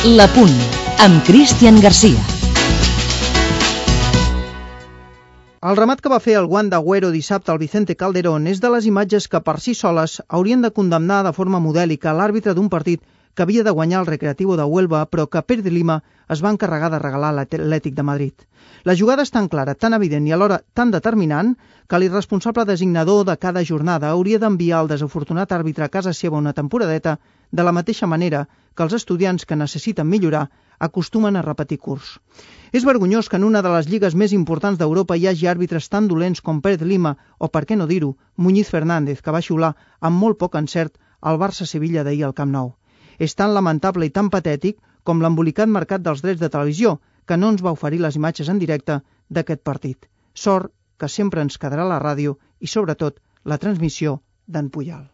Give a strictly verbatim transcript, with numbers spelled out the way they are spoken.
La Punt, amb Cristian Garcia. El remat que va fer el guant d'Agüero dissabte al Vicente Calderón és de les imatges que per si soles haurien de condemnar de forma modèlica l'àrbitre d'un partit que havia de guanyar el Recreativo de Huelva, però que Pérez Lima es va encarregar de regalar a l'Atlètic de Madrid. La jugada és tan clara, tan evident i alhora tan determinant que l'irresponsable designador de cada jornada hauria d'enviar el desafortunat àrbitre a casa seva una temporadeta de la mateixa manera que els estudiants que necessiten millorar acostumen a repetir curs. És vergonyós que en una de les lligues més importants d'Europa hi hagi àrbitres tan dolents com Pérez Lima o, per què no dir-ho, Muñiz Fernández, que va xiular amb molt poc encert al Barça-Sevilla d'ahir al Camp Nou. És tan lamentable i tan patètic com l'embolicat mercat dels drets de televisió, que no ens va oferir les imatges en directe d'aquest partit. Sort que sempre ens quedarà la ràdio i, sobretot, la transmissió d'en Puyal.